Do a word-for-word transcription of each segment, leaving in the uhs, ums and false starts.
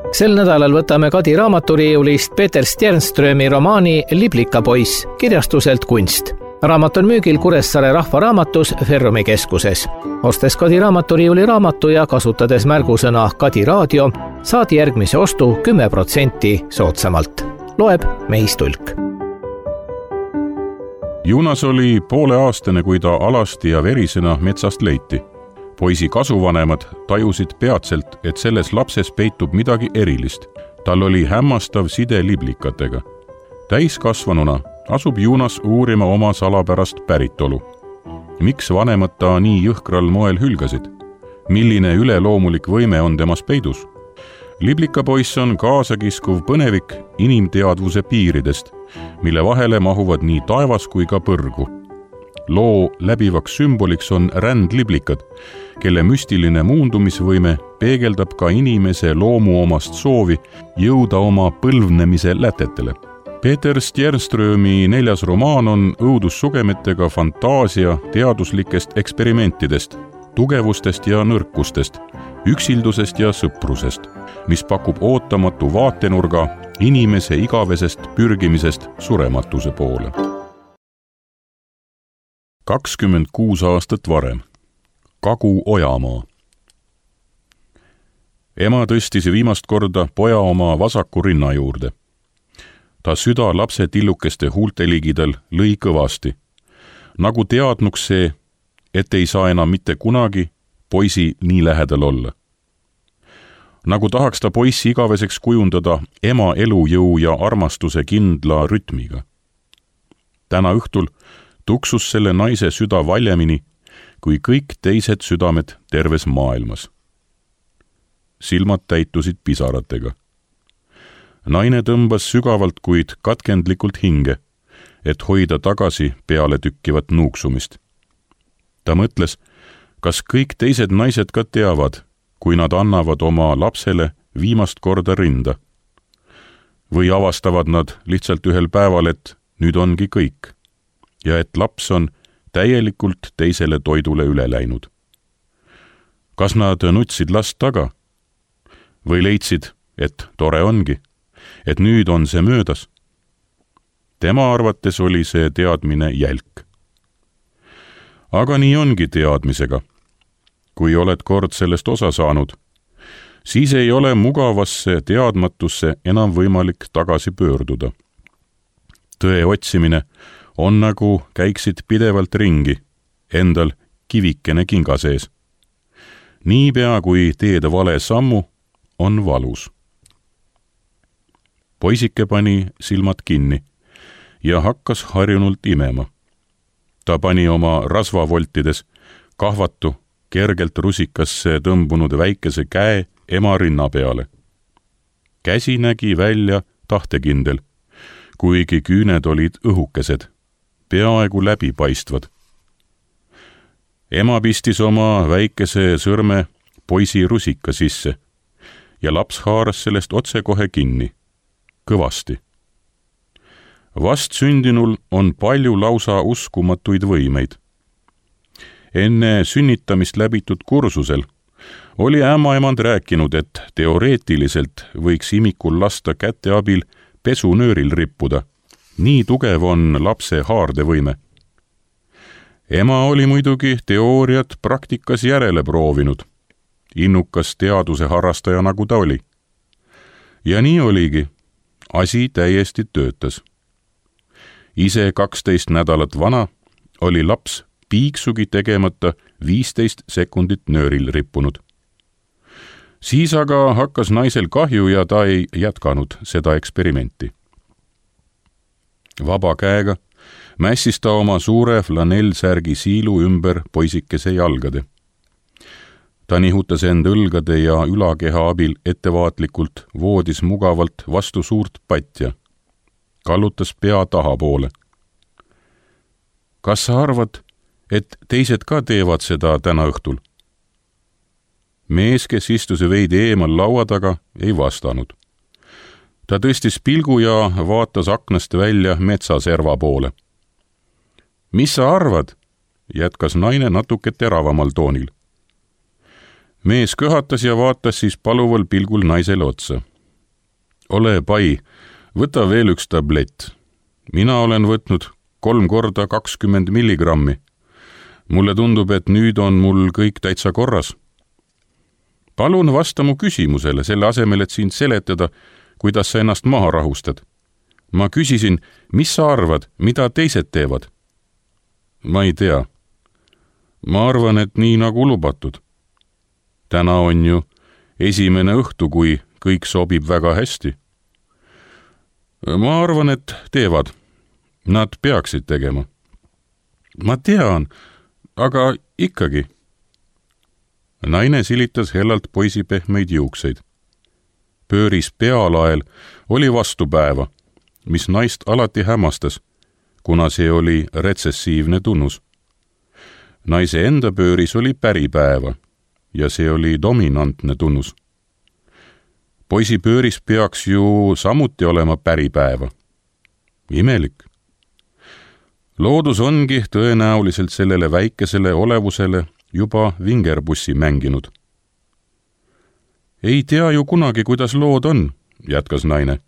Sel nädalal võtame Kadi raamaturiiulist Peeter Stjernströmi romaani Liblikapoiss kirjastuselt Kunst. Raamat on müügil Kuressaare rahvaraamatus Ferrumi keskuses. Ostes Kadi raamaturiiuli raamatu ja kasutades märgusõna Kadi raadio, saadi järgmise ostu kümme protsenti soodsamalt. Loeb Meis Tulk. Junas oli pooleaastane, kui ta alasti ja verisena metsast leiti. Poisi kasuvanemad tajusid peatselt, et selles lapses peitub midagi erilist. Tal oli hämmastav side liblikatega. Täiskasvanuna asub Junas uurima oma salapärast päritolu. Miks vanemad ta nii jõhkral moel hülgasid? Milline üleloomulik võime on temas peidus? Liblikapoiss on kaasakiskuv põnevik inimteadvuse piiridest, mille vahele mahuvad nii taevas kui ka põrgu. Loo läbivaks sümboliks on rändliblikad, kelle müstiline muundumisvõime peegeldab ka inimese loomu omast soovi jõuda oma põlvnemise lätetele. Peeter Stjernströmi neljas romaan on õudussugemetega fantaasia teaduslikest eksperimentidest, tugevustest ja nõrkustest, üksildusest ja sõprusest, mis pakub ootamatu vaatenurga inimese igavesest pürgimisest surematuse poole. kakskümmend kuus aastat varem. Kagu-Ojamaa. Ema tõstis viimast korda poja oma vasaku rinna juurde. Ta süda lapse tillukeste huulte ligidal lõi kõvasti, nagu teadnuks see, et ei saa enam mitte kunagi poisi nii lähedal olla. Nagu tahaks ta poissi igaveseks kujundada ema elujõu ja armastuse kindla rütmiga. Täna õhtul tuksus selle naise süda valjemini kui kõik teised südamed terves maailmas. Silmad täitusid pisaratega. Naine tõmbas sügavalt, kuid katkendlikult hinge, et hoida tagasi peale tükkivat nuuksumist. Ta mõtles, kas kõik teised naised ka teavad, kui nad annavad oma lapsele viimast korda rinda. Või avastavad nad lihtsalt ühel päeval, et nüüd ongi kõik ja et laps on täielikult teisele toidule üle läinud. Kas nad nutsid last taga? Või leidsid, et tore ongi, et nüüd on see möödas? Tema arvates oli see teadmine jälk. Aga nii ongi teadmisega. Kui oled kord sellest osa saanud, siis ei ole mugavasse teadmatusse enam võimalik tagasi pöörduda. Tõe otsimine on nagu käiksid pidevalt ringi, endal kivikene kinga sees. Niipea kui teed vale sammu, on valus. Poisike pani silmad kinni ja hakkas harjunult imema. Ta pani oma rasvavoltides kahvatu, kergelt rusikasse tõmbunud väikese käe ema rinna peale. Käsi nägi välja tahtekindel, kuigi küüned olid õhukesed, peaaegu läbipaistvad. Ema pistis oma väikese sõrme poisi rusika sisse ja laps haaras sellest otsekohe kinni, kõvasti. Vast sündinul on palju lausa uskumatuid võimeid. Enne sünnitamist läbitud kursusel oli ämmaemand rääkinud, et teoreetiliselt võiks imikul lasta käte abil pesunööril rippuda. Nii tugev on lapse haardevõime. Ema oli muidugi teooriat praktikas järele proovinud, innukas teaduse harrastaja nagu ta oli. Ja nii oligi, asi täiesti töötas. Ise kaksteist nädalat vana oli laps piiksugi tegemata viisteist sekundit nööril rippunud. Siis aga hakkas naisel kahju ja ta ei jätkanud seda eksperimenti. Vaba käega mässis ta oma suure flanellsärgi siilu ümber poisikese jalgade. Ta nihutas end õlgade ja ülakeha abil ettevaatlikult voodis mugavalt vastu suurt patja. Kallutas pea tahapoole. Kas sa arvad, et teised ka teevad seda täna õhtul? Mees, kes istus veidi eemal laua taga, ei vastanud. Ta tõstis pilgu ja vaatas aknast välja metsaserva poole. Mis sa arvad? Jätkas naine natuke teravamal toonil. Mees köhatas ja vaatas siis paluval pilgul naisele otsa. ole pai, võta veel üks tablett. Mina olen võtnud kolm korda kakskümmend milligrammi. Mulle tundub, et nüüd on mul kõik täitsa korras. Palun vasta mu küsimusele, selle asemel, et sind seletada, kuidas sa ennast maha rahustad. Ma küsisin, mis sa arvad, mida teised teevad? Ma ei tea. Ma arvan, et nii nagu lubatud. Täna on ju esimene õhtu, kui kõik sobib väga hästi. Ma arvan, et teevad. Nad peaksid tegema. Ma tean, aga ikkagi. Naine silitas hellalt poisi pehmeid juukseid. Pööris pealael oli vastupäeva, mis naist alati hämmastas, kuna see oli retsessiivne tunnus. Naise enda pööris oli päripäeva ja see oli dominantne tunnus. Poisi pööris peaks ju samuti olema päripäeva. Imelik. Loodus ongi tõenäoliselt sellele väikesele olevusele juba vingerbussi mänginud. Ei tea ju kunagi, kuidas lood on, jätkas naine.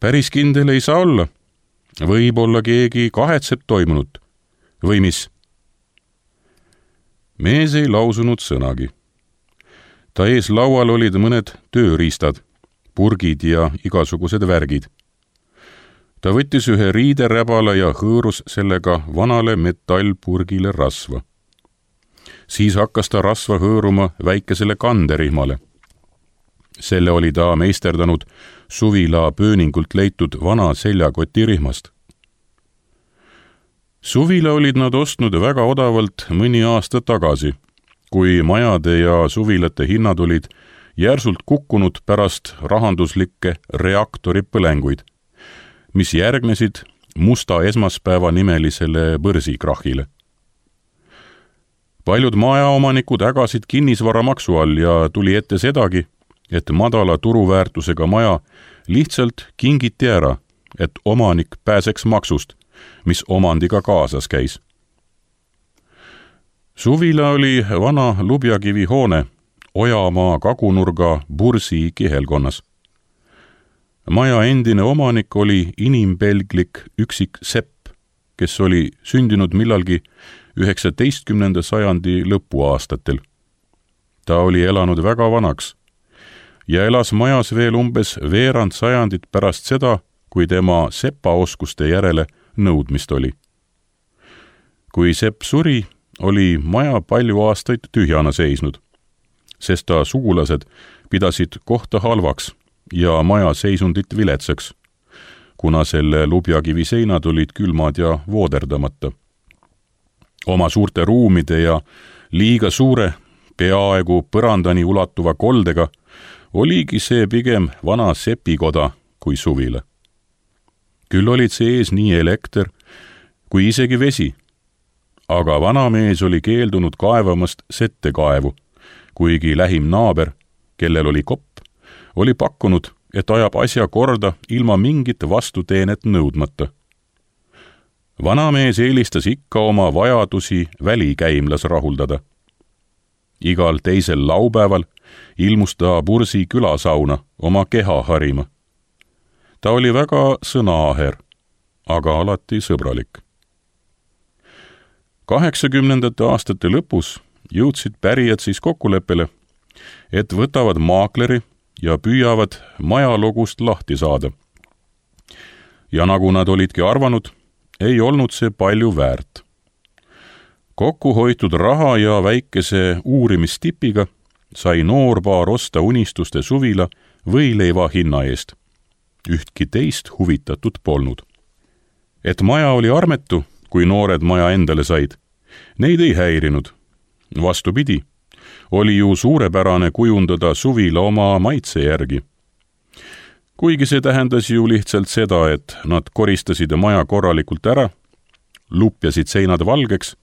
Päris kindel ei saa olla. Võib-olla keegi kahetseb toimunut. Või mis? Mees ei lausunud sõnagi. Ta ees laual olid mõned tööriistad, purgid ja igasugused värgid. Ta võttis ühe riideräbala ja hõõrus sellega vanale metallpurgile rasva. Siis hakkas ta rasva hõõruma väikesele kanderihmale. Selle oli ta meisterdanud suvila pööningult leitud vana seljakotirihmast. Suvila olid nad ostnud väga odavalt mõni aasta tagasi, kui majade ja suvilate hinnad olid järsult kukkunud pärast rahanduslikke reaktoripõlenguid, mis järgnesid musta esmaspäeva nimelisele börsikrahhile. Paljud majaomanikud ägasid kinnisvaramaksu all ja tuli ette sedagi, et madala turuväärtusega maja lihtsalt kingiti ära, et omanik pääseks maksust, mis omandiga kaasas käis. Suvila oli vana lubjakivi hoone Ojamaa kagunurga Bursi kihelkonnas. Maja endine omanik oli inimpelglik üksik sepp, kes oli sündinud millalgi üheksateistkümnenda sajandi lõpuaastatel. Ta oli elanud väga vanaks ja elas majas veel umbes veerand sajandit pärast seda, kui tema sepaoskuste järele nõudmist oli. Kui sepp suri, oli maja palju aastaid tühjana seisnud, sest ta sugulased pidasid kohta halvaks ja maja seisundit viletsaks, kuna selle lubjakivi seinad olid külmad ja vooderdamata. Oma suurte ruumide ja liiga suure, peaaegu põrandani ulatuva koldega oligi see pigem vana sepikoda kui suvila. Küll olid see ees nii elekter kui isegi vesi, aga vanamees oli keeldunud kaevamast settekaevu, kuigi lähim naaber, kellel oli kopp, oli pakkunud, et ajab asja korda ilma mingit vastuteenet nõudmata. Vanamees eelistas ikka oma vajadusi välikäimlas rahuldada. Igal teisel laupäeval ilmus ta Bursi külasauna oma keha harima. Ta oli väga sõnaaher, aga alati sõbralik. kaheksakümnendate aastate lõpus jõudsid pärijad siis kokkuleppele, et võtavad maakleri ja püüavad majalogust lahti saada. Ja nagu nad olidki arvanud, ei olnud see palju väärt. Kokku hoitud raha ja väikese uurimistipiga sai noorpaar osta unistuste suvila võileiva hinna eest. Ühtki teist huvitatud polnud. Et maja oli armetu, kui noored maja endale said, neid ei häirinud. Vastupidi, oli ju suurepärane kujundada suvila oma maitse järgi. Kuigi see tähendas ju lihtsalt seda, et nad koristasid maja korralikult ära, lupjasid seinad valgeks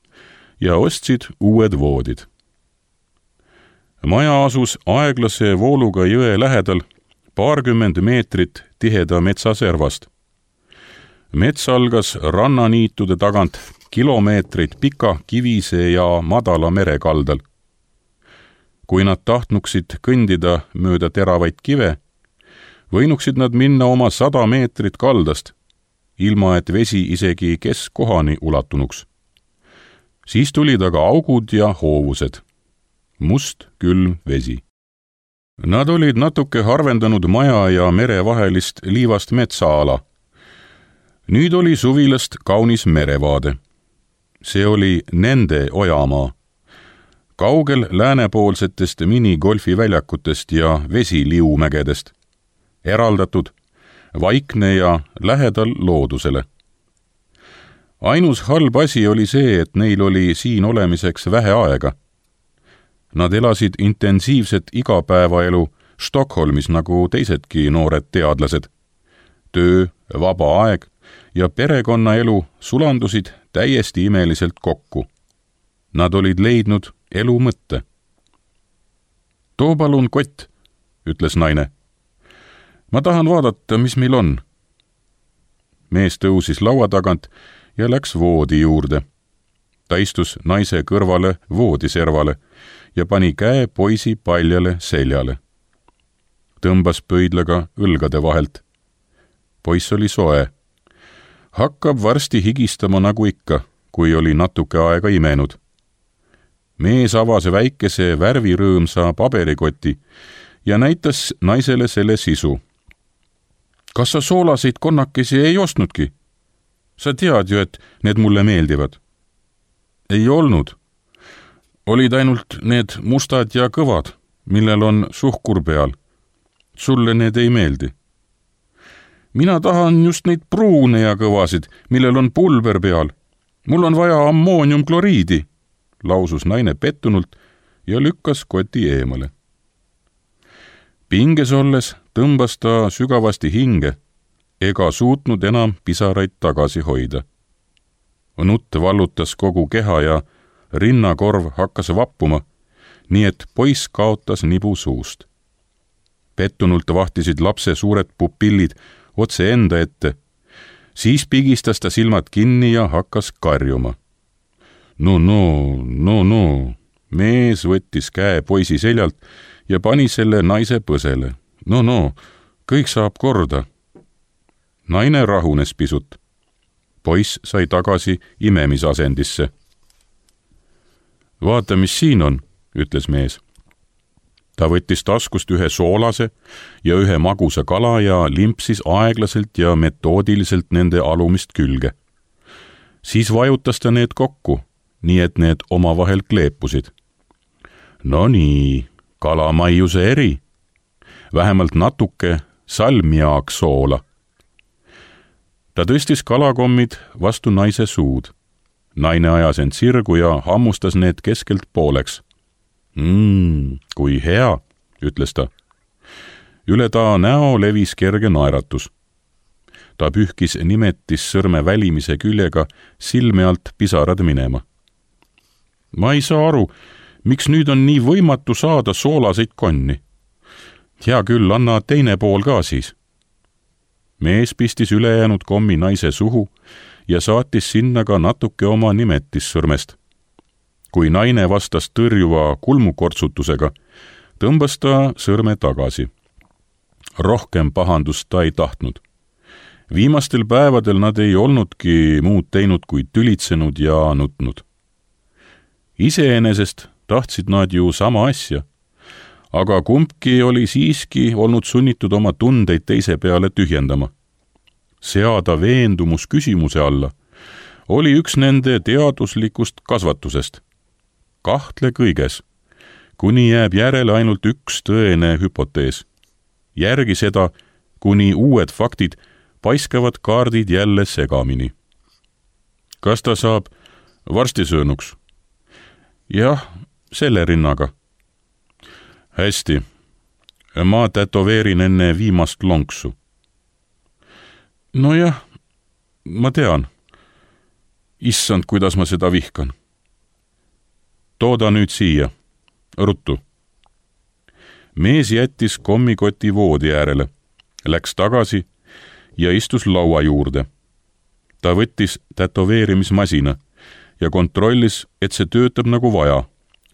ja ostsid uued voodid. Maja asus aeglase vooluga jõe lähedal paarkümmend meetrit tiheda metsaservast. Mets algas rannaniitude tagant kilomeetreid pika kivise ja madala merekaldal. Kui nad tahtnuksid kõndida mööda teravaid kive, Võinuksid nad minna oma sada meetrit kaldast, ilma et vesi isegi keskkohani ulatunuks. Siis tulid aga augud ja hoovused. Must külm vesi. Nad olid natuke harvendanud maja ja mere vahelist liivast metsaala. Nüüd oli suvilast kaunis merevaade. See oli nende ojamaa. Kaugel läänepoolsetest minigolfi väljakutest ja vesiliumägedest. Eraldatud, vaikne ja lähedal loodusele. Ainus halb asi oli see, et neil oli siin olemiseks vähe aega. Nad elasid intensiivset igapäevaelu Stockholmis nagu teisedki noored teadlased. Töö, vaba aeg ja perekonnaelu sulandusid täiesti imeliselt kokku. Nad olid leidnud elu mõtte. Too palun kott, ütles naine. Ma tahan vaadata, mis meil on. Mees tõusis laua tagant ja läks voodi juurde. Ta istus naise kõrvale voodiservale ja pani käe poisi paljale seljale. Tõmbas pöidlaga õlgade vahelt. Poiss oli soe. Hakkab varsti higistama nagu ikka, kui oli natuke aega imenud. Mees avas väikese värvirõõmsa paberikoti ja näitas naisele selle sisu. Kas sa soolaseid konnakesi ei ostnudki? Sa tead ju, et need mulle meeldivad. Ei olnud. Olid ainult need mustad ja kõvad, millel on suhkur peal. Sulle need ei meeldi. Mina tahan just neid pruune ja kõvasid, millel on pulber peal. Mul on vaja ammooniumkloriidi, lausus naine pettunult ja lükkas koti eemale. Pinges olles tõmbas ta sügavasti hinge ega suutnud enam pisaraid tagasi hoida. Nutt vallutas kogu keha ja rinnakorv hakkas vappuma, nii et poiss kaotas nibu suust. Pettunult vahtisid lapse suured pupillid otse enda ette. Siis pigistas ta silmad kinni ja hakkas karjuma. No, no, no, no. Mees võttis käe poisi seljalt ja pani selle naise põsele. No, no, kõik saab korda. Naine rahunes pisut. Poiss sai tagasi imemisasendisse. Vaata, mis siin on, ütles mees. Ta võttis taskust ühe soolase ja ühe magusa kala ja limpsis aeglaselt ja metoodiliselt nende alumist külge. Siis vajutas ta need kokku, nii et need omavahel kleepusid. No nii, kalamaiuse eri. Vähemalt natuke salmiaak soola. Ta tõstis kalakommid vastu naise suud. Naine ajas end sirgu ja hammustas need keskelt pooleks. Mmm, kui hea, ütles ta. Üle ta näo levis kerge naeratus. Ta pühkis nimetis sõrme välimise küljega silme alt pisarad minema. Ma ei saa aru, miks nüüd on nii võimatu saada soolaseid konni. Hea küll, anna teine pool ka siis. Mees pistis ülejäänud kommi naise suhu ja saatis sinna ka natuke oma nimetissõrmest. Kui naine vastas tõrjuva kulmukortsutusega, tõmbas ta sõrme tagasi. Rohkem pahandust ta ei tahtnud. Viimastel päevadel nad ei olnudki muud teinud kui tülitsenud ja nutnud. Iseenesest tahtsid nad ju sama asja, aga kumbki oli siiski olnud sunnitud oma tundeid teise peale tühjendama. Seada veendumus küsimuse alla oli üks nende teaduslikust kasvatusest. Kahtle kõiges, kuni jääb järele ainult üks tõene hüpotees. Järgi seda, kuni uued faktid paiskavad kaardid jälle segamini. Kas ta saab varstisöönuks? Jah, selle rinnaga. Hästi, ma tätoveerin enne viimast lonksu. Nojah, ma tean. Issand, kuidas ma seda vihkan. Tooda nüüd siia. Ruttu. Mees jättis kommikoti voodi äärele, läks tagasi ja istus laua juurde. Ta võttis tätoveerimismasina ja kontrollis, et see töötab nagu vaja,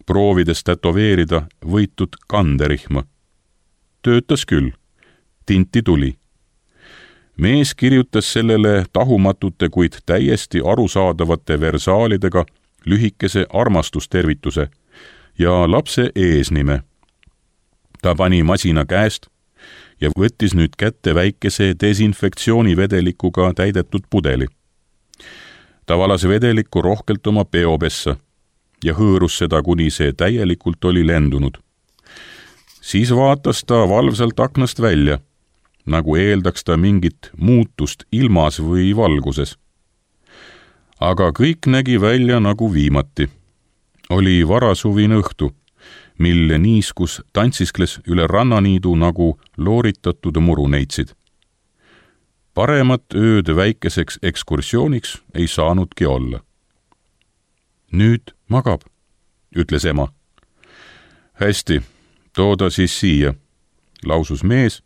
proovides tätoveerida võitud kanderihma. Töötas küll. tinti tuli. Mees kirjutas sellele tahumatute, kuid täiesti arusaadavate versaalidega lühikese armastustervituse ja lapse eesnime. Ta pani masina käest ja võttis nüüd kätte väikese desinfektsioonivedelikuga täidetud pudeli. Ta valas vedelikku rohkelt oma peopessa ja hõõrus seda, kuni see täielikult oli lendunud. Siis vaatas ta valvsalt aknast välja, nagu eeldaks ta mingit muutust ilmas või valguses. Aga kõik nägi välja nagu viimati. Oli varasuvine õhtu, mil niiskus tantsiskles üle rannaniidu nagu looritatud muruneitsid. Paremat ööd väikeseks ekskursiooniks ei saanudki olla. Nüüd magab, ütles ema. Hästi, tooda siis siia, lausus mees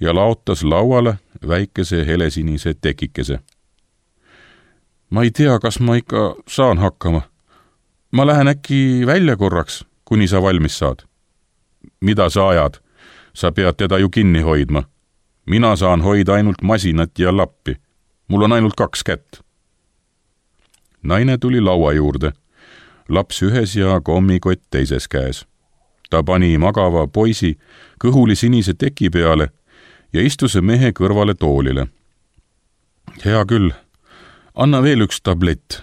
ja laotas lauale väikese helesinise tekikese. Ma ei tea, kas ma ikka saan hakkama. Ma lähen äkki välja korraks, kuni sa valmis saad. Mida sa ajad? Sa pead teda ju kinni hoidma. Mina saan hoida ainult masinat ja lappi. Mul on ainult kaks kätt. Naine tuli laua juurde. Laps ühes ja kommikott teises käes. Ta pani magava poisi kõhuli sinise teki peale ja istus mehe kõrvale toolile. Hea küll, anna veel üks tablett.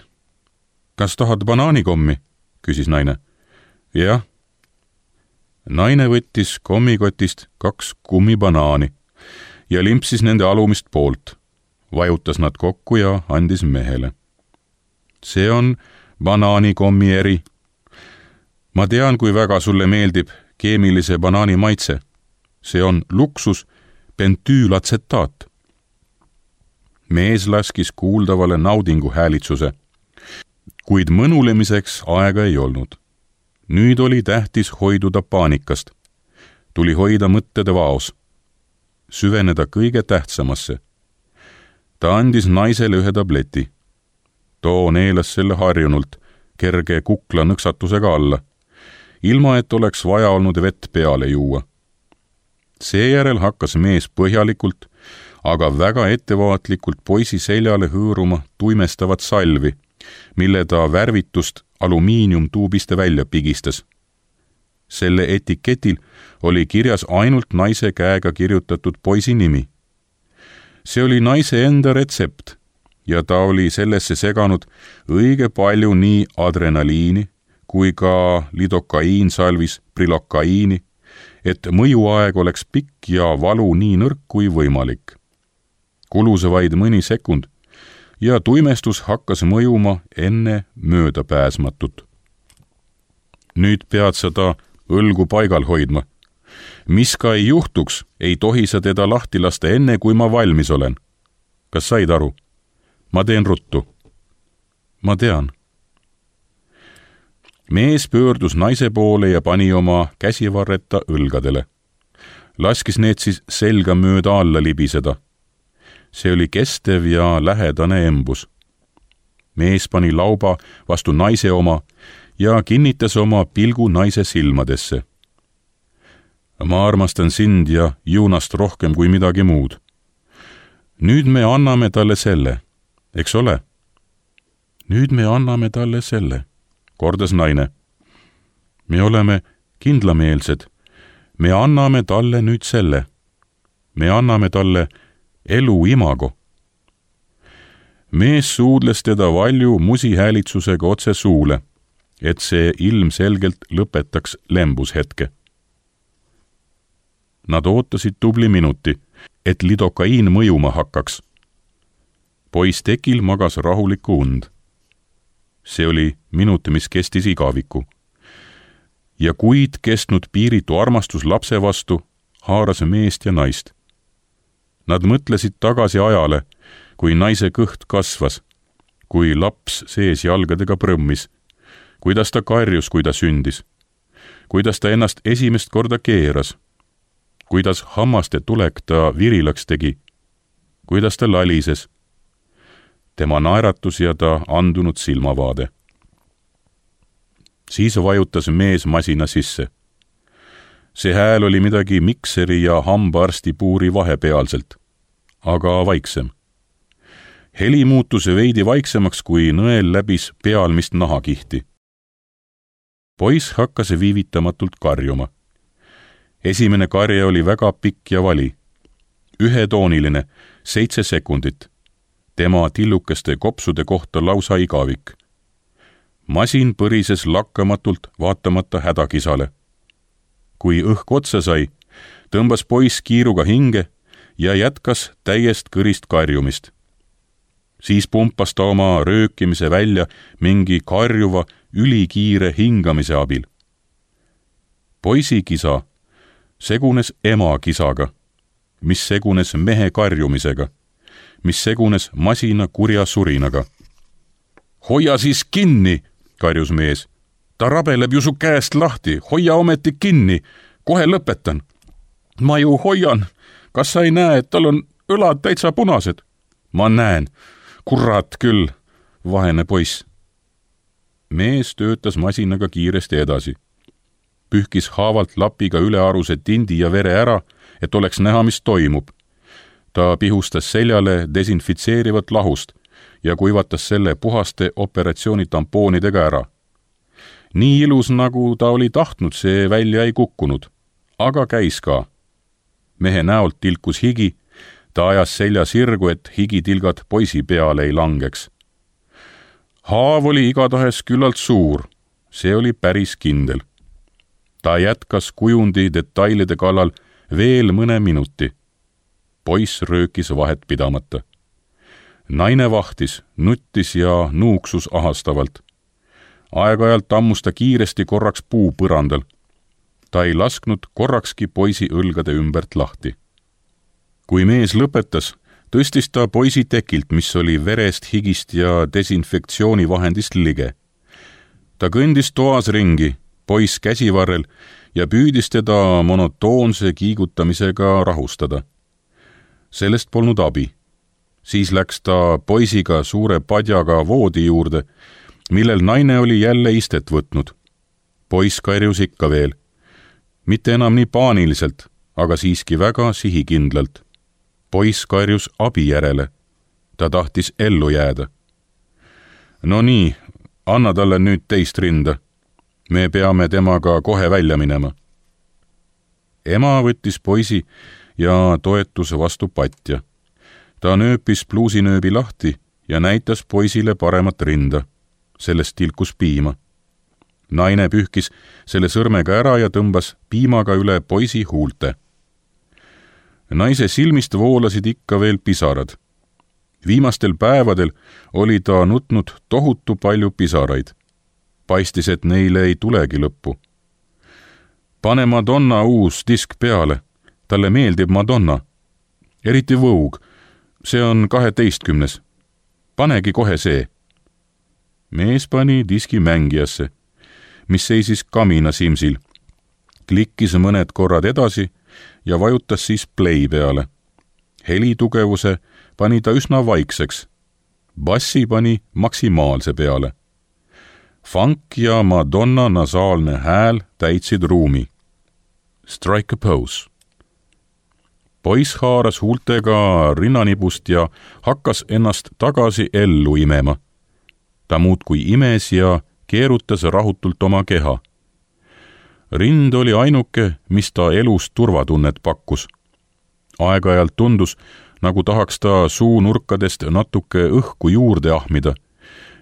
Kas tahad banaanikommi? Küsis naine. Jah. Naine võttis kommikotist kaks kummibanaani ja limpsis nende alumist poolt. Vajutas nad kokku ja andis mehele. See on banaanikommi eri. Ma tean, kui väga sulle meeldib keemilise banaani maitse. See on luksus pentüülatsetaat. Mees laskis kuuldavale naudingu häälitsuse, kuid mõnulemiseks aega ei olnud. Nüüd oli tähtis hoiduda paanikast. Tuli hoida mõttede vaos. Süveneda kõige tähtsamasse. Ta andis naisele ühe tableti. Too neelas selle harjunult, kerge kukla nõksatusega alla, ilma et oleks vaja olnud vett peale juua. Seejärel hakkas mees põhjalikult, aga väga ettevaatlikult poisi seljale hõõruma tuimestavat salvi, mille ta värvitust alumiiniumtuubiste välja pigistas. Selle etiketil oli kirjas ainult naise käega kirjutatud poisi nimi. See oli naise enda retsept ja ta oli sellesse seganud õige palju nii adrenaliini kui ka lidokaiinsalvis prilokaiini, et mõjuaeg oleks pikk ja valu nii nõrk kui võimalik. Kulus vaid mõni sekund ja tuimestus hakkas mõjuma enne möödapääsmatut. Nüüd pead seda õlgu paigal hoidma. Mis ka ei juhtuks, ei tohi sa teda lahti lasta enne, kui ma valmis olen. Kas said aru? Ma teen ruttu. Ma tean. Mees pöördus naise poole ja pani oma käsivarreta õlgadele. Laskis need siis selga mööda alla libiseda. See oli kestev ja lähedane embus. Mees pani lauba vastu naise oma ja kinnitas oma pilgu naise silmadesse. Ma armastan sind ja Juunast rohkem kui midagi muud. Nüüd me anname talle selle, eks ole? Nüüd me anname talle selle, kordas naine. Me oleme kindlameelsed. Me anname talle nüüd selle. Me anname talle elu imago. Mees suudles teda valju musihäälitsusega otse suule, et see ilmselgelt lõpetaks lembushetke. Nad ootasid tubli minuti, et lidokaiin mõjuma hakkaks. Poiss tekil magas rahulikku und. See oli minut, mis kestis igaviku. Ja kuid kestnud piiritu armastus lapse vastu haaras meest ja naist. Nad mõtlesid tagasi ajale, kui naise kõht kasvas, kui laps sees jalgadega prõmmis, kuidas ta karjus, kui ta sündis, kuidas ta ennast esimest korda keeras, kuidas hammaste tulek ta virilaks tegi, kuidas ta lalises, tema naeratus ja ta andunud silmavaade. Siis vajutas mees masina sisse. see hääl oli midagi mikseri ja hambaarsti puuri vahepealselt, aga vaiksem. Heli muutus veidi vaiksemaks, kui nõel läbis pealmist nahakihti. Poiss hakkas viivitamatult karjuma. Esimene karje oli väga pikk ja vali. Ühetooniline, seitse sekundit. Tema tillukeste kopsude kohta lausa igavik. Masin põrises lakkamatult vaatamata hädakisale. Kui õhk otsa sai, tõmbas poiss kiiruga hinge ja jätkas täiest kõrist karjumist. Siis pumpas ta oma röökimise välja mingi karjuva, ülikiire hingamise abil. Poisi kisa segunes ema kisaga, mis segunes mehe karjumisega, mis segunes masina kurja surinaga. Hoia siis kinni, karjus mees. Ta rabeleb ju su käest lahti, hoia ometi kinni, kohe lõpetan. Ma ju hoian, kas sa ei näe, et tal on õlad täitsa punased? Ma näen, kurat küll, vahene poiss. Mees töötas masinaga kiiresti edasi. Pühkis haavalt lapiga ülearuse tindi ja vere ära, et oleks näha, mis toimub. Ta pihustas seljale desinfitseerivat lahust ja kuivatas selle puhaste operatsiooni tampoonidega ära. Nii ilus, nagu ta oli tahtnud, see välja ei kukkunud, aga käis ka. Mehe näolt tilkus higi, ta ajas selja sirgu, et higitilgad poisi peale ei langeks. Haav oli igatahes küllalt suur, see oli päris kindel. Ta jätkas kujundi detailide kallal veel mõne minuti. Poiss röökis vahet pidamata. Naine vahtis, nuttis ja nuuksus ahastavalt. Aeg-ajalt tammus ta kiiresti korraks puu põrandal. Ta ei lasknud korrakski poisi õlgade ümbert lahti. Kui mees lõpetas, tõstis ta poisi tekilt, mis oli verest, higist ja desinfektsioonivahendist lige. Ta kõndis toas ringi, poiss käsivarrel, ja püüdis teda monotoonse kiigutamisega rahustada. Sellest polnud abi. Siis läks ta poisiga suure padjaga voodi juurde, millel naine oli jälle istet võtnud. Poiss karjus ikka veel. Mitte enam nii paaniliselt, aga siiski väga sihikindlalt. Poiss karjus abi järele. Ta tahtis ellu jääda. No nii, anna talle nüüd teist rinda. Me peame temaga kohe välja minema. Ema võttis poisi ja toetus vastu patja. Ta nööpis pluusinööbi lahti ja näitas poisile paremat rinda. Sellest tilkus piima. Naine pühkis selle sõrmega ära ja tõmbas piimaga üle poisi huulte. Naise silmist voolasid ikka veel pisarad. Viimastel päevadel oli ta nutnud tohutu palju pisaraid. Paistis, et neile ei tulegi lõppu. Pane Madonna uus disk peale. Talle meeldib Madonna. Eriti Vogue. See on kaheteistkümnes. Panegi kohe see. Mees pani diski mängijasse, mis seisis kamina simsil. Klikkis mõned korrad edasi ja vajutas siis play peale. Helitugevuse pani ta üsna vaikseks. Bassi pani maksimaalse peale. Funk ja Madonna nasaalne hääl täitsid ruumi. Strike a pose. Poiss haaras huultega rinnanibust ja hakkas ennast tagasi ellu imema. Ta muudkui imes ja keerutas rahutult oma keha. Rind oli ainuke, mis ta elus turvatunnet pakkus. Aeg-ajalt tundus, nagu tahaks ta suu nurkadest natuke õhku juurde ahmida.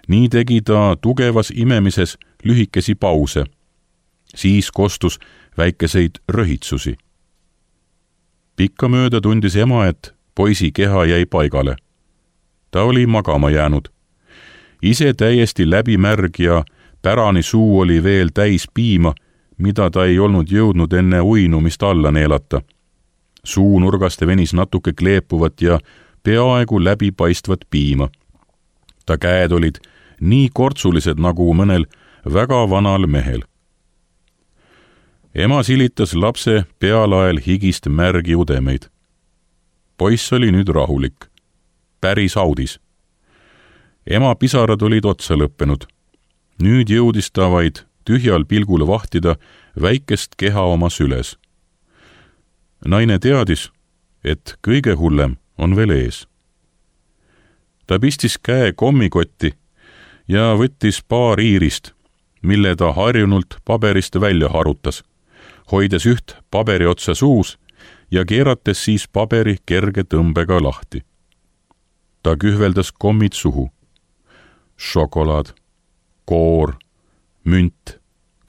Nii tegi ta tugevas imemises lühikesi pause. Siis kostus väikeseid röhitsusi. Pikkamööda tundis ema, et poisi keha jäi paigale. Ta oli magama jäänud. Ise täiesti läbimärg ja pärani suu oli veel täis piima, mida ta ei olnud jõudnud enne uinumist alla neelata. Suu nurgast venis natuke kleepuvat ja peaaegu läbipaistvat piima. Ta käed olid nii kortsulised nagu mõnel väga vanal mehel. Ema silitas lapse pealael higist märgi udemeid. Poiss oli nüüd rahulik. Päris audis. Ema pisarad olid otsa lõppenud. Nüüd jõudis ta vaid tühjal pilgul vahtida väikest keha oma süles. naine teadis, et kõige hullem on veel ees. Ta pistis käe kommikotti ja võttis paar iirist, mille ta harjunult paberist välja harutas, hoides üht paberi otsa suus ja keerates siis paberi kerge tõmbega lahti. Ta kühveldas kommid suhu. Šokolaad, koor, münt,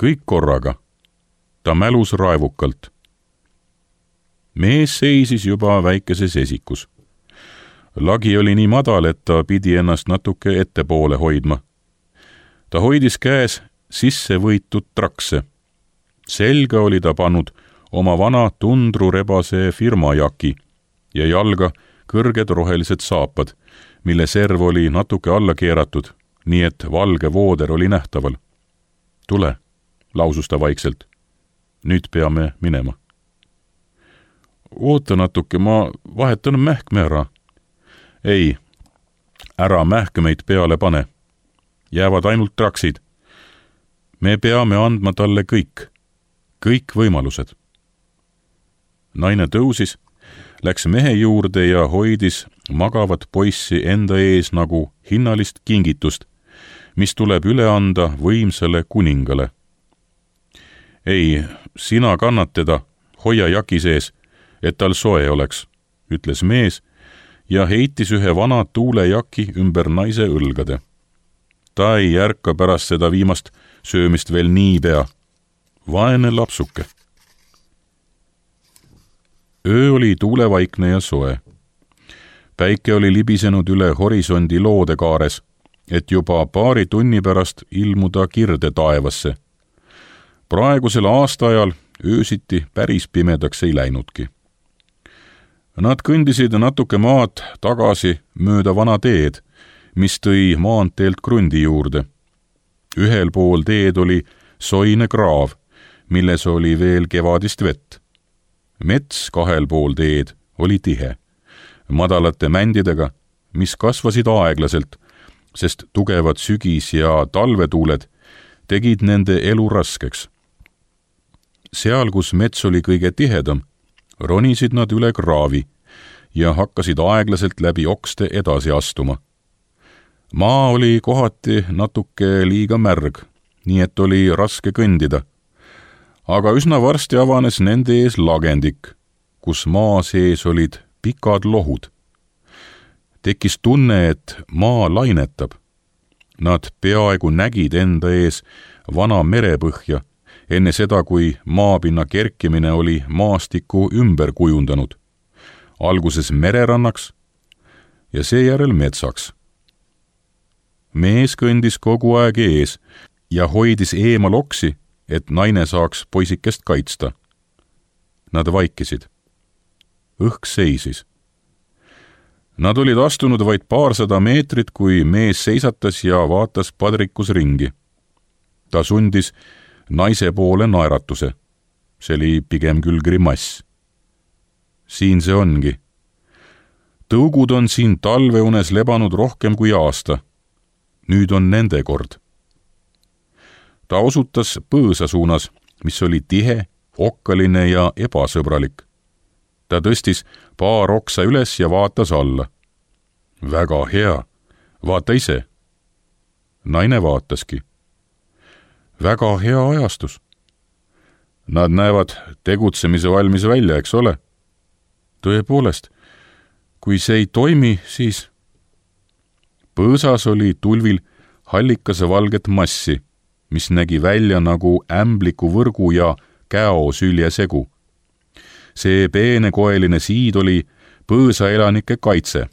kõik korraga. Ta mälus raevukalt. Mees seisis juba väikeses esikus. Lagi oli nii madal, et ta pidi ennast natuke ettepoole hoidma. Ta hoidis käes sisse võitud trakse. Selga oli ta pannud oma vana tundrurebase firmajaki ja jalga kõrged rohelised saapad, mille serv oli natuke alla keeratud, nii et valge vooder oli nähtaval. Tule, lausus ta vaikselt. Nüüd peame minema. Oota natuke, ma vahetan mähkme ära. Ei, ära mähkmeid peale pane. Jäävad ainult traksid. Me peame andma talle kõik, kõik võimalused. Naine tõusis, läks mehe juurde ja hoidis magavat poissi enda ees nagu hinnalist kingitust, mis tuleb üle anda võimsale kuningale. Ei, sina kannad teda, hoia jaki sees, et tal soe oleks, ütles mees ja heitis ühe vana tuulejaki ümber naise õlgade. Ta ei järka pärast seda viimast söömist veel niipea. Vaene lapsuke. Öö oli tuulevaikne ja soe. Päike oli libisenud üle horisondi loodekaares, et juba paari tunni pärast ilmuda kirde taevasse. Praegusel aastaajal öösiti päris pimedaks ei läinudki. Nad kõndisid natuke maad tagasi mööda vana teed, mis tõi maanteelt krundi juurde. Ühel pool teed oli soine kraav, milles oli veel kevadist vett. Mets kahel pool teed oli tihe, madalate mändidega, mis kasvasid aeglaselt, sest tugevad sügis- ja talvetuuled tegid nende elu raskeks. Seal, kus mets oli kõige tihedam, ronisid nad üle kraavi ja hakkasid aeglaselt läbi okste edasi astuma. Maa oli kohati natuke liiga märg, nii et oli raske kõndida. Aga üsna varsti avanes nende ees lagendik, kus maa sees olid pikad lohud. Tekkis tunne, et maa lainetab. Nad peaaegu nägid enda ees vana merepõhja, enne seda, kui maapinna kerkimine oli maastikku ümber kujundanud. Alguses mererannaks ja seejärel metsaks. Mees kõndis kogu aeg ees ja hoidis eemal oksi, et naine saaks poisikest kaitsta. Nad vaikisid. Õhk seisis. Nad olid astunud vaid paarsada meetrit, kui mees seisatas ja vaatas padrikus ringi. Ta sundis naise poole naeratuse. See oli pigem küll grimass. Siin see ongi. Tõugud on siin talveunes lebanud rohkem kui aasta. Nüüd on nende kord. Ta osutas põõsa suunas, mis oli tihe, okkaline ja ebasõbralik. Ta tõstis paar oksa üles ja vaatas alla. Väga hea, vaata ise. Naine vaataski. Väga hea ajastus. Nad näevad tegutsemise valmis välja, eks ole? Tõepoolest, kui see ei toimi, siis... Põõsas oli tulvil hallikase valget massi, mis nägi välja nagu ämbliku võrgu ja käo süljesegu. See peenekoeline siid oli põõsa elanike kaitse.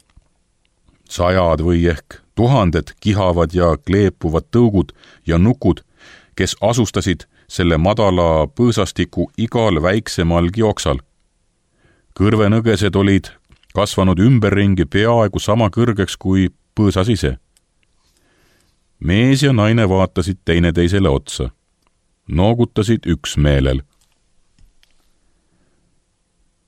Sajad või ehk tuhanded kihavad ja kleepuvad tõugud ja nukud, kes asustasid selle madala põõsastiku igal väiksemalgi oksal. Kõrvenõgesed olid kasvanud ümberringi peaaegu sama kõrgeks kui põõsas ise. Mees ja naine vaatasid teineteisele otsa. Noogutasid üksmeelel.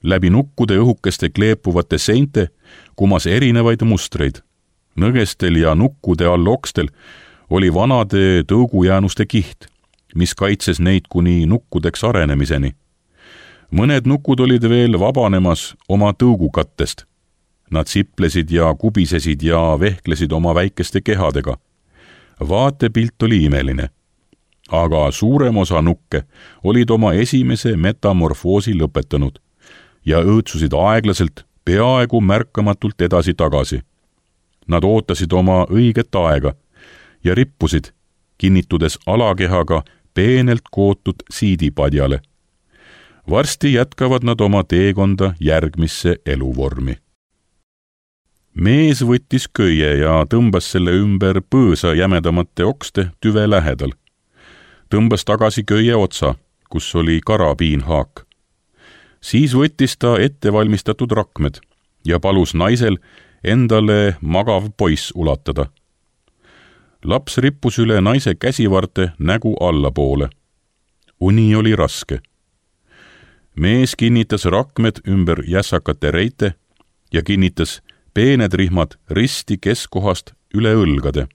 Läbi nukkude õhukeste kleepuvate seinte kumas erinevaid mustreid. Nõgestel ja nukkude all okstel oli vanade tõugujäänuste kiht, mis kaitses neid kuni nukkudeks arenemiseni. mõned nukud olid veel vabanemas oma tõugukattest. Nad siplesid ja kubisesid ja vehklesid oma väikeste kehadega. Vaatepilt oli imeline. Aga suurem osa nukke olid oma esimese metamorfoosi lõpetanud ja õõtsusid aeglaselt, peaaegu märkamatult edasi-tagasi. Nad ootasid oma õiget aega ja rippusid, kinnitudes alakehaga peenelt kootud siidipadjale. Varsti jätkavad nad oma teekonda järgmisse eluvormi. Mees võttis köie ja tõmbas selle ümber põõsa jämedamate okste tüve lähedal. Tõmbas tagasi köie otsa, kus oli karabiinhaak. Siis võttis ta ettevalmistatud rakmed ja palus naisel endale magav poiss ulatada. Laps rippus üle naise käsivarte nägu allapoole. Uni oli raske. Mees kinnitas rakmed ümber jässakate reite ja kinnitas peened rihmad risti keskkohast üle õlgade.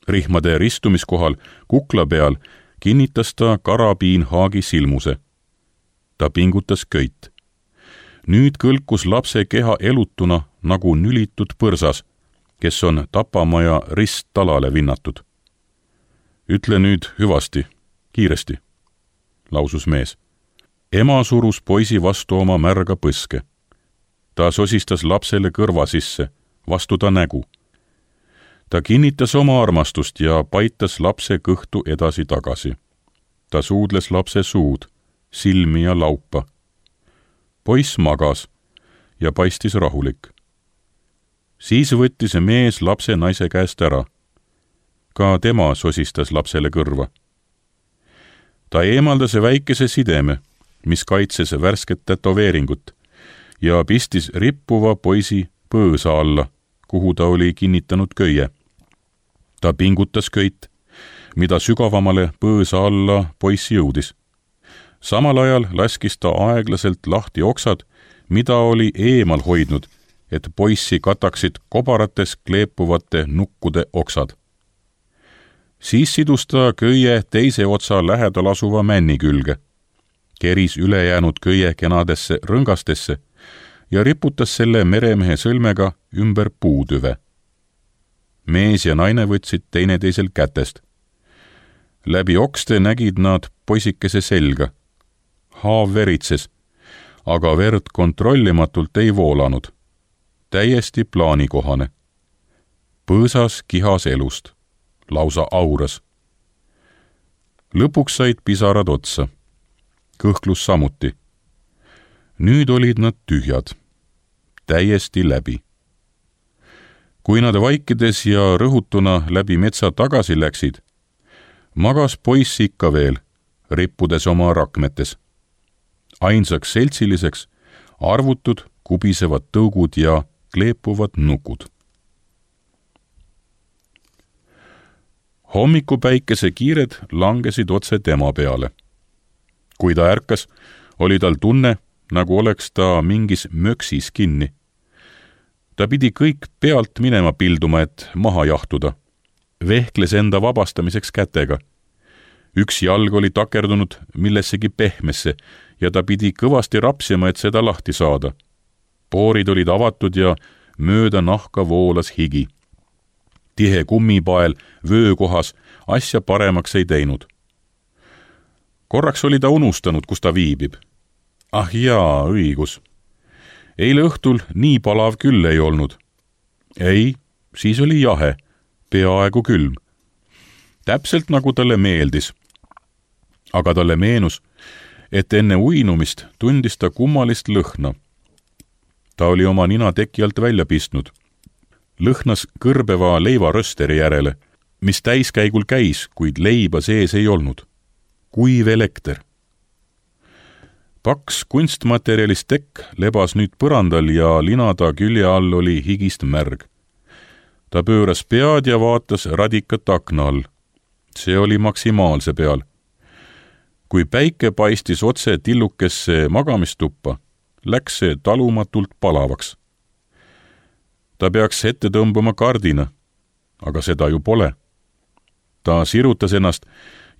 Rihmade ristumiskohal kukla peal kinnitas ta karabiinhaagi silmuse. Ta pingutas köit. Nüüd kõlkus lapse keha elutuna nagu nülitud põrsas, kes on tapamaja risttalale vinnatud. Ütle nüüd hüvasti, kiiresti, lausus mees. Ema surus poisi vastu oma märga põske. Ta sosistas lapsele kõrva sisse, vastu ta nägu. Ta kinnitas oma armastust ja paitas lapse kõhtu edasi-tagasi. Ta suudles lapse suud, silmi ja laupa. Poiss magas ja paistis rahulik. Siis võttis mees lapse naise käest ära. Ka tema sosistas lapsele kõrva. Ta eemaldas väikese sideme, mis kaitses värsket tätoveeringut ja pistis rippuva poisi põõsa alla, kuhu ta oli kinnitanud köie. Ta pingutas köit, mida sügavamale põõsa alla poiss jõudis. Samal ajal laskis ta aeglaselt lahti oksad, mida oli eemal hoidnud, et poissi kataksid kobarates kleepuvate nukkude oksad. Siis sidus ta köie teise otsa lähedal asuva männi külge, keris ülejäänud köie kenadesse rõngastesse ja riputas selle meremehe sõlmega ümber puutüve. Mees ja naine võtsid teineteisel kätest. Läbi okste nägid nad poisikese selga. Haav veritses, aga verd kontrollimatult ei voolanud. Täiesti plaanikohane. Põõsas kihas elust, lausa auras. Lõpuks said pisarad otsa. Kõhklus samuti. Nüüd olid nad tühjad. Täiesti läbi. Kui nad vaikides ja rõhutuna läbi metsa tagasi läksid, magas poiss ikka veel, rippudes oma rakmetes. Ainsaks seltsiliseks arvutud kubisevad tõugud ja kleepuvad nukud. Hommikupäikese kiired langesid otse tema peale. Kui ta ärkas, oli tal tunne, nagu oleks ta mingis möksis kinni. Ta pidi kõik pealt minema pilduma, et maha jahtuda. Vehkles enda vabastamiseks kätega. Üks jalg oli takerdunud millessegi pehmesse ja ta pidi kõvasti rapsima, et seda lahti saada. Poorid olid avatud ja mööda nahka voolas higi. Tihe kummipael vöökohas asja paremaks ei teinud. Korraks oli ta unustanud, kus ta viibib. Ah jaa, õigus. Eile õhtul nii palav küll ei olnud. Ei, siis oli jahe, peaaegu külm. Täpselt nagu talle meeldis. Aga talle meenus, et enne uinumist tundis ta kummalist lõhna. Ta oli oma nina teki alt välja pistnud. Lõhnas kõrbeva leivarösteri järele, mis täiskäigul käis, kuid leiba sees ei olnud. Kuiv elekter. Paks kunstmaterjalist tekk lebas nüüd põrandal ja linada külje all oli higist märg. Ta pööras pead ja vaatas radikat akna all. See oli maksimaalse peal. Kui päike paistis otse tillukesse magamistuppa, läks see talumatult palavaks. Ta peaks ette tõmbama kardina, aga seda ju pole. Ta sirutas ennast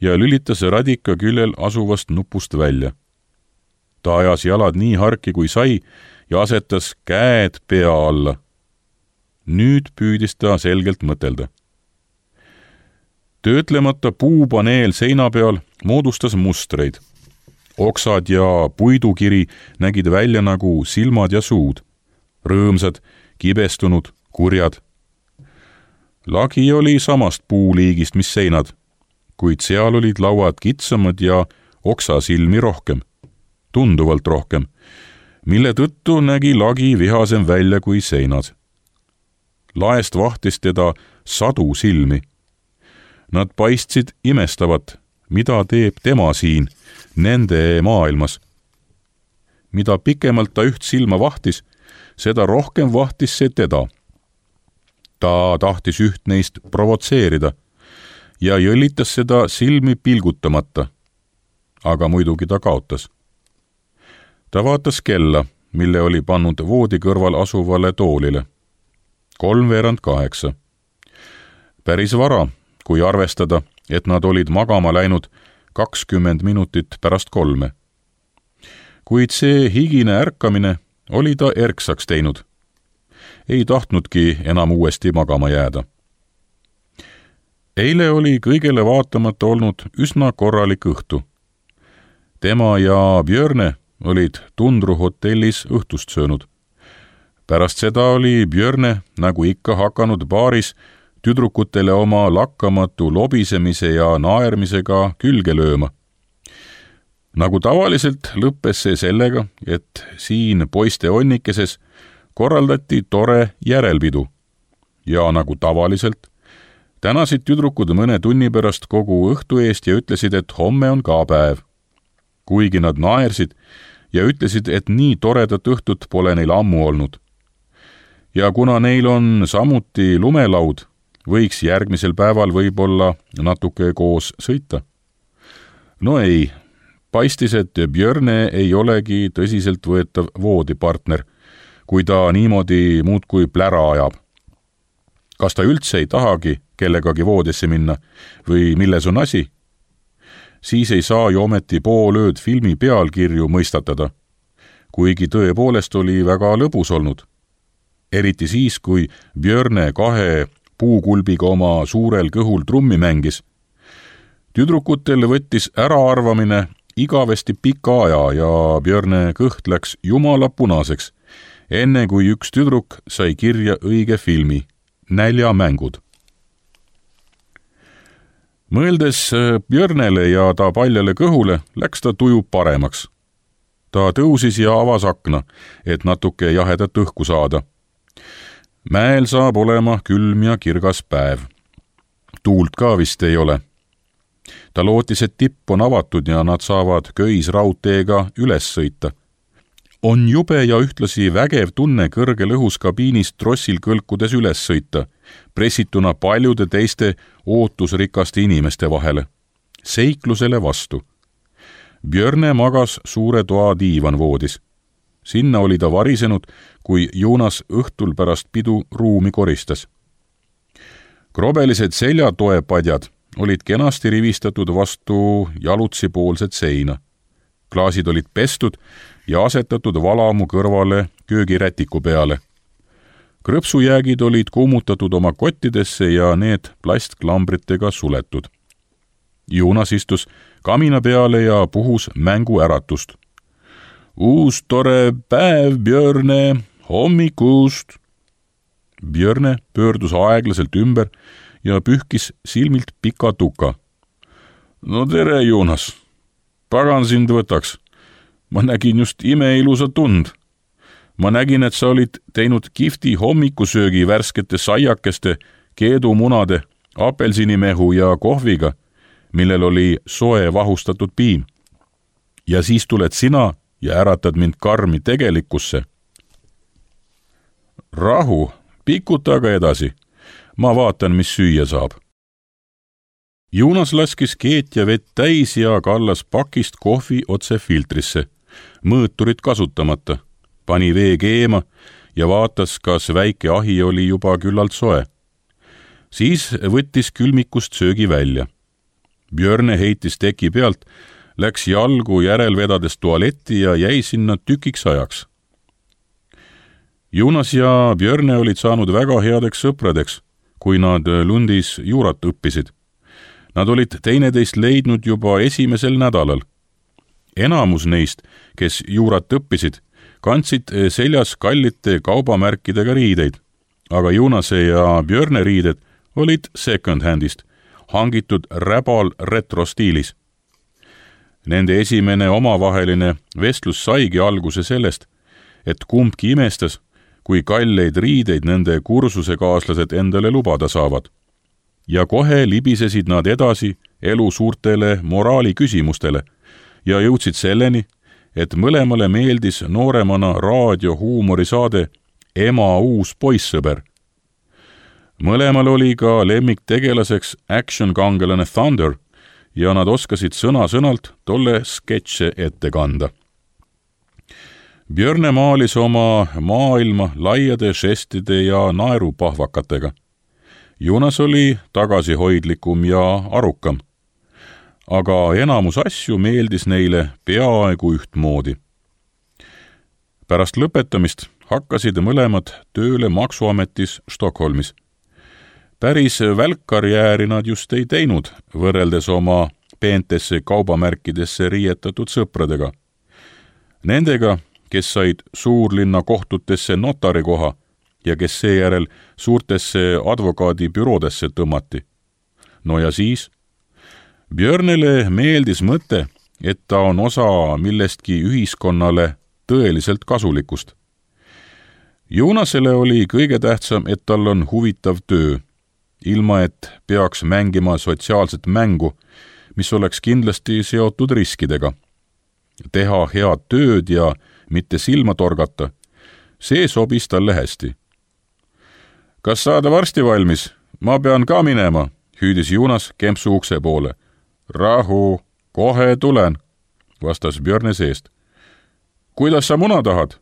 ja lülitas radika küljel asuvast nupust välja. ta ajas jalad nii harki kui sai ja asetas käed pea alla. Nüüd püüdis ta selgelt mõtelda. Töötlemata puupaneel seina peal moodustas mustreid. Oksad ja puidukiri nägid välja nagu silmad ja suud. Rõõmsad, kibestunud, kurjad. Lagi oli samast puuliigist, mis seinad, kuid seal olid lauad kitsamad ja oksasilmi rohkem, tunduvalt rohkem, mille tõttu nägi lagi vihasem välja kui seinad. Laest vahtis teda sadu silmi. Nad paistsid imestavat, mida teeb tema siin, nende maailmas. Mida pikemalt ta üht silma vahtis, seda rohkem vahtis see teda. Ta tahtis üht neist provotseerida ja jõllitas seda silmi pilgutamata, aga muidugi ta kaotas. Ta vaatas kella, mille oli pannud voodi kõrval asuvale toolile. Kolmveerand kaheksa. Päris vara, kui arvestada, et nad olid magama läinud kakskümmend minutit pärast kolme. Kuid see higine ärkamine oli ta erksaks teinud. Ei tahtnudki enam uuesti magama jääda. Eile oli kõigele vaatamata olnud üsna korralik õhtu. Tema ja Björne olid Tundru hotellis õhtust söönud. Pärast seda oli Björne, nagu ikka hakanud baaris, tüdrukutele oma lakkamatu lobisemise ja naermisega külge lööma. Nagu tavaliselt lõppes see sellega, et siin poiste onnikeses korraldati tore järelpidu. Ja nagu tavaliselt, tänasid tüdrukud mõne tunni pärast kogu õhtu eest ja ütlesid, et homme on ka päev. Kuigi nad naersid ja ütlesid, et nii toredat õhtut pole neil ammu olnud. Ja kuna neil on samuti lumelaud, võiks järgmisel päeval võib-olla natuke koos sõita. No ei, paistis, et Björne ei olegi tõsiselt võetav voodipartner, kui ta niimoodi muudkui plära ajab. Kas ta üldse ei tahagi kellegagi voodisse minna või milles on asi? Siis ei saa ju ometi poolööd filmi pealkirju mõistatada, kuigi tõepoolest oli väga lõbus olnud. Eriti siis, kui Björne kahe puukulbiga oma suurel kõhul trummi mängis. Tüdrukutel võttis äraarvamine igavesti pika aja ja Björne kõht läks jumala punaseks, enne kui üks tüdruk sai kirja õige filmi, Näljamängud. Mõeldes Björnele ja ta paljale kõhule, läks ta tuju paremaks. Ta tõusis ja avas akna, et natuke jahedat õhku saada. Mäel saab olema külm ja kirgas päev. Tuult ka vist ei ole. Ta lootis, et tipp on avatud ja nad saavad köisraudteega üles sõita. On jube ja ühtlasi vägev tunne kõrgel õhus kabiinis trossil kõlkudes üles sõita, pressituna paljude teiste ootusrikaste inimeste vahele. Seiklusele vastu. Björne magas suure toa diivan voodis. Sinna oli ta varisenud, kui Jonas õhtul pärast pidu ruumi koristas. Krobelised seljatoepadjad olid kenasti rivistatud vastu jalutsipoolset seina. Klaasid olid pestud ja asetatud valamu kõrvale köögirätiku peale. Krõpsujäägid olid kuumutatud oma kottidesse ja need plastklambritega suletud. Jonas istus kamina peale ja puhus mängu äratust. Uus tore päev, Björne, hommikust. Björne pöördus aeglaselt ümber ja pühkis silmilt pika tuka. No tere, Jonas. Pagan sind võtaks. Ma nägin just imeilusa tund. Ma nägin, et sa olid teinud kihvti hommikusöögi värskete saiakeste, keedumunade, apelsinimehu ja kohviga, millel oli soe vahustatud piim. Ja siis tuled sina ja äratad mind karmi tegelikkusse. Rahu, pikuta aga edasi. Ma vaatan, mis süüa saab. Jonas laskis keet ja vett täis ja kallas pakist kohvi otse filtrisse, mõõturit kasutamata, pani vee keema ja vaatas, kas väike ahi oli juba küllalt soe. Siis võttis külmikust söögi välja. Björne heitis teki pealt läks jalgu järel vedades tualetti ja jäi sinna tükiks ajaks. Jonas ja Björne olid saanud väga headeks sõpradeks, kui nad Lundis juurat õppisid. Nad olid teineteist leidnud juba esimesel nädalal. Enamus neist, kes juurat õppisid, kandsid seljas kallite kaubamärkidega riideid, aga Jonase ja Björne riided olid second-handist, hangitud räbal retrostiilis. Nende esimene omavaheline vestlus saigi alguse sellest, et kumbki imestas, kui kalleid riideid nende kursusekaaslased endale lubada saavad. Ja kohe libisesid nad edasi elu suurtele moraaliküsimustele ja jõudsid selleni, et mõlemale meeldis nooremana raadiohuumorisaade Ema uus poissõber. Mõlemal oli ka lemmiktegelaseks action-kangelane Thunder ja nad oskasid sõna-sõnalt tolle sketše ette kanda. Björne maalis oma maailma laiade žestide ja naerupahvakatega. Jonas oli tagasihoidlikum ja arukam, aga enamus asju meeldis neile peaaegu ühtmoodi. Pärast lõpetamist hakkasid mõlemad tööle maksuametis Stockholmis. Päris välkkarjääri nad just ei teinud, võrreldes oma peentesse kaubamärkidesse riietatud sõpradega. Nendega, kes said suurlinna kohtutesse notarikoha ja kes seejärel suurtesse advokaadibüroodesse tõmmati. No ja siis? Björnele meeldis mõte, et ta on osa millestki ühiskonnale tõeliselt kasulikust. Jonasele oli kõige tähtsam, et tal on huvitav töö, ilma et peaks mängima sotsiaalset mängu, mis oleks kindlasti seotud riskidega. Teha head tööd ja mitte silma torgata, see sobis talle hästi. Kas saada varsti valmis? Ma pean ka minema, hüüdis Jonas kempsu ukse poole. Rahu, kohe tulen, vastas Björne seest. Kuidas sa muna tahad?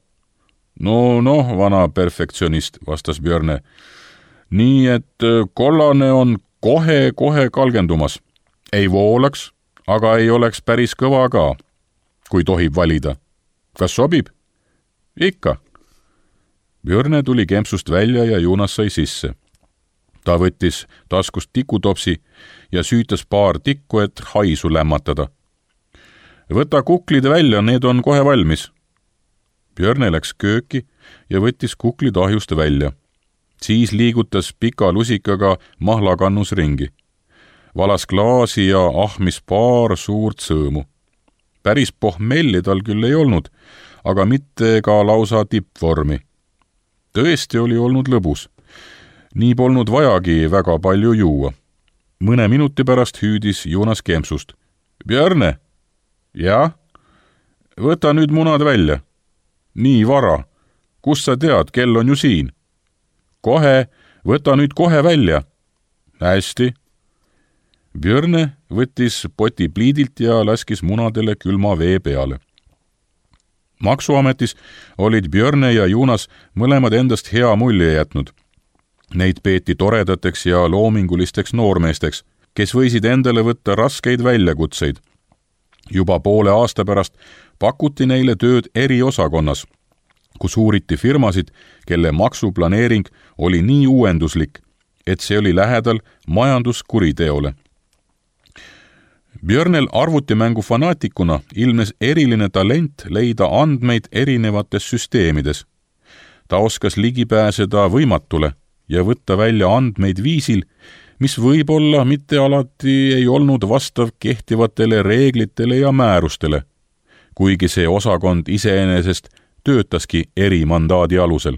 No, noh, vana perfektsionist, vastas Björne. Nii, et kollane on kohe-kohe kalgendumas. Ei voolaks, aga ei oleks päris kõva ka, kui tohib valida. Kas sobib? Ikka. Björne tuli kempsust välja ja Jonas sai sisse. Ta võttis taskust tikutopsi ja süütas paar tikku, et haisu lämmatada. Võta kuklid välja, need on kohe valmis. Björne läks kööki ja võttis kuklid ahjust välja. Siis liigutas pika lusikaga mahlakannus ringi. Valas klaasi ja ahmis paar suurt sõõmu. Päris pohmelli tal küll ei olnud, aga mitte ka lausa tippvormi. Tõesti oli olnud lõbus. Nii polnud vajagi väga palju juua. Mõne minuti pärast hüüdis Jonas kempsust. Björne? Jah? Võta nüüd munad välja. Nii vara. Kus sa tead, kell on ju siin? Kohe, võta nüüd kohe välja. Hästi. Björne võttis poti pliidilt ja laskis munadele külma vee peale. Maksuametis olid Björne ja Jonas mõlemad endast hea mulje jätnud. Neid peeti toredateks ja loomingulisteks noormeesteks, kes võisid endale võtta raskeid väljakutseid. Juba poole aasta pärast pakuti neile tööd eriosakonnas, kus uuriti firmasid, kelle maksuplaneering oli nii uuenduslik, et see oli lähedal majanduskuriteole. Björnel arvutimängu fanaatikuna ilmnes eriline talent leida andmeid erinevates süsteemides. Ta oskas ligi pääseda võimatule ja võtta välja andmeid viisil, mis võib-olla mitte alati ei olnud vastav kehtivatele reeglitele ja määrustele, kuigi see osakond iseenesest töötaski erimandaadi alusel.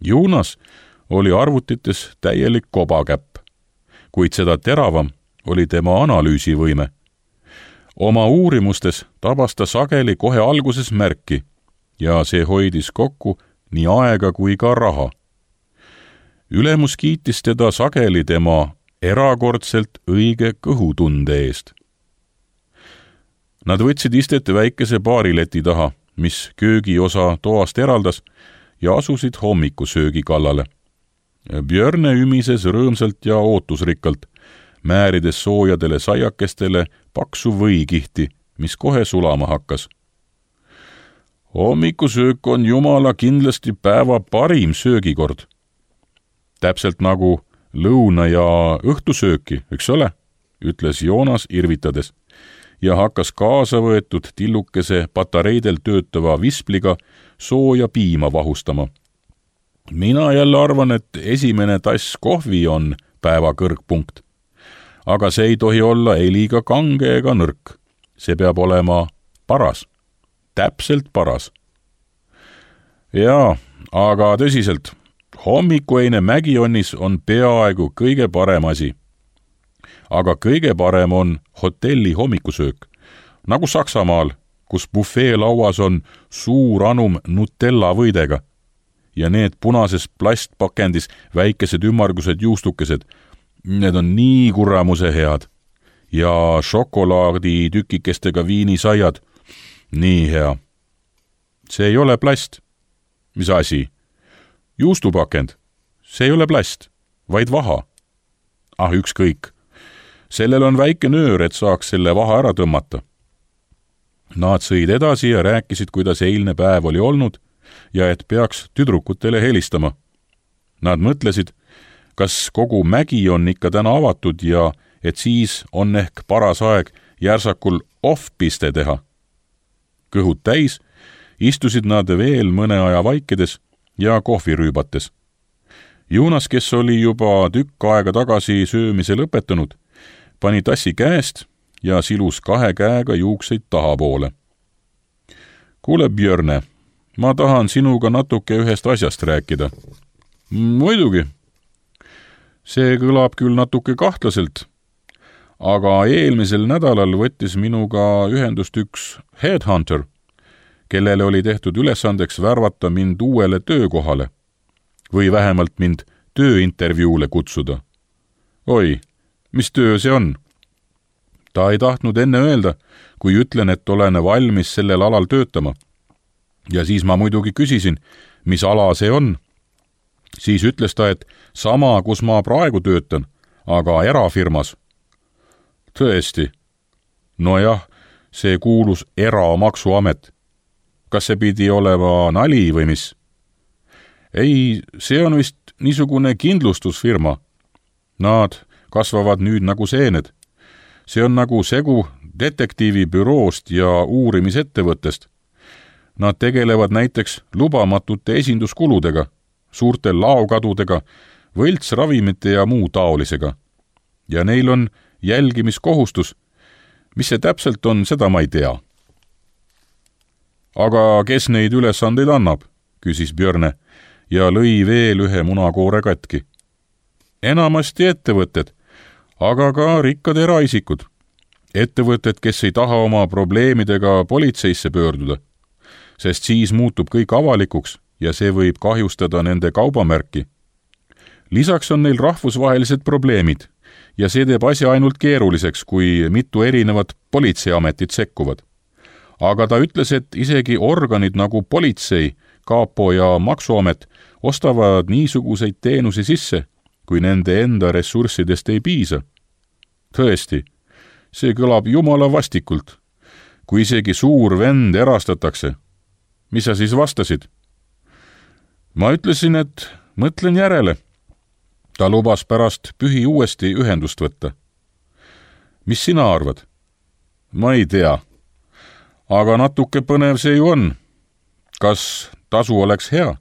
Jonas oli arvutites täielik kobakäpp, kuid seda teravam oli tema analüüsivõime. Oma uurimustes tabas ta sageli kohe alguses märki ja see hoidis kokku nii aega kui ka raha. Ülemus kiitis teda sageli tema erakordselt õige kõhutunde eest. Nad võtsid istet väikese baarileti taha, mis köögiosa toast eraldas, ja asusid hommikusöögi kallale. Björne ümises rõõmsalt ja ootusrikkalt, määrides soojadele saiakestele paksu võikihti mis kohe sulama hakkas. Hommikusöök on jumala kindlasti päeva parim söögikord. Täpselt nagu lõuna- ja õhtusööki, eks ole, ütles Joonas irvitades ja hakkas kaasa võetud tillukese patareidel töötava vispliga sooja piima vahustama. Mina jälle arvan, et esimene tass kohvi on päeva kõrgpunkt. Aga see ei tohi olla ei liiga kange ega nõrk. See peab olema paras. Täpselt paras. Jaa, aga tõsiselt, hommikueine Mägionnis on peaaegu kõige parem asi. Aga kõige parem on hotelli hommikusöök, nagu Saksamaal, kus bufee lauas on suur anum Nutella võidega ja need punases plastpakendis väikesed ümmargused juustukesed, need on nii kuramuse head ja šokolaadi tükikestega viinisaiad, nii hea. See ei ole plast. Mis asi? Juustupakend. See ei ole plast, vaid vaha. Ah, ükskõik. Sellel on väike nöör, et saaks selle vaha ära tõmmata. Nad sõid edasi ja rääkisid, kuidas eilne päev oli olnud ja et peaks tüdrukutele helistama. Nad mõtlesid, kas kogu mägi on ikka täna avatud ja et siis on ehk paras aeg järsakul off-piste teha. Kõhud täis, istusid nad veel mõne aja vaikedes ja kohvi rüübates. Joonas, kes oli juba tükk aega tagasi söömise lõpetanud, pani tassi käest ja silus kahe käega juukseid tahapoole. Kuule, Björne, ma tahan sinuga natuke ühest asjast rääkida. Muidugi. See kõlab küll natuke kahtlaselt, aga eelmisel nädalal võttis minuga ühendust üks headhunter, kellele oli tehtud ülesandeks värvata mind uuele töökohale või vähemalt mind tööintervjuule kutsuda. Oi, mis töö see on? Ta ei tahtnud enne öelda, kui ütlen, et olen valmis sellel alal töötama. Ja siis ma muidugi küsisin, mis ala see on. Siis ütles ta, et sama, kus ma praegu töötan, aga erafirmas. Tõesti. No jah, see kuulus eramaksuamet. Kas see pidi olema nali või mis? Ei, see on vist niisugune kindlustusfirma. Nad kasvavad nüüd nagu seened. See on nagu segu detektiivibüroost ja uurimisettevõttest. Nad tegelevad näiteks lubamatute esinduskuludega, suurte laokadudega, võltsravimite ja muu taolisega. Ja neil on jälgimiskohustus. Mis see täpselt on, seda ma ei tea. Aga kes neid ülesandeid annab, küsis Björne ja lõi veel ühe munakoore katki. Enamasti ettevõtted, aga ka rikkad eraisikud. Ettevõtted, kes ei taha oma probleemidega politseisse pöörduda, sest siis muutub kõik avalikuks ja see võib kahjustada nende kaubamärki. Lisaks on neil rahvusvahelised probleemid ja see teeb asja ainult keeruliseks, kui mitu erinevat politseiametit sekkuvad. Aga ta ütles, et isegi organid nagu politsei, kaapo ja maksuamet ostavad niisuguseid teenusi sisse, kui nende enda ressurssidest ei piisa. Tõesti, see kõlab jumala vastikult. Kui isegi suur vend erastatakse. Mis sa siis vastasid? Ma ütlesin, et mõtlen järele. Ta lubas pärast pühi uuesti ühendust võtta. Mis sina arvad? Ma ei tea. Aga natuke põnev see ju on. Kas tasu oleks hea?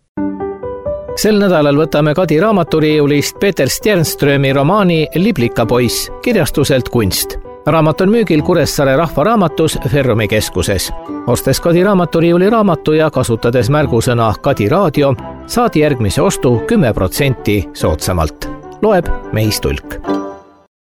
Sel nädalal võtame Kadi raamaturiiulist Peter Stjernströmi romaani Liblika poiss kirjastuselt Kunst. Raamat on müügil Kuressaare Rahvaraamatus Ferrumi keskuses. Ostes Kadi raamaturiiuli raamatu ja kasutades märgusõna Kadi raadio, saad järgmise ostu kümme protsenti soodsamalt. Loeb Meis Tulk.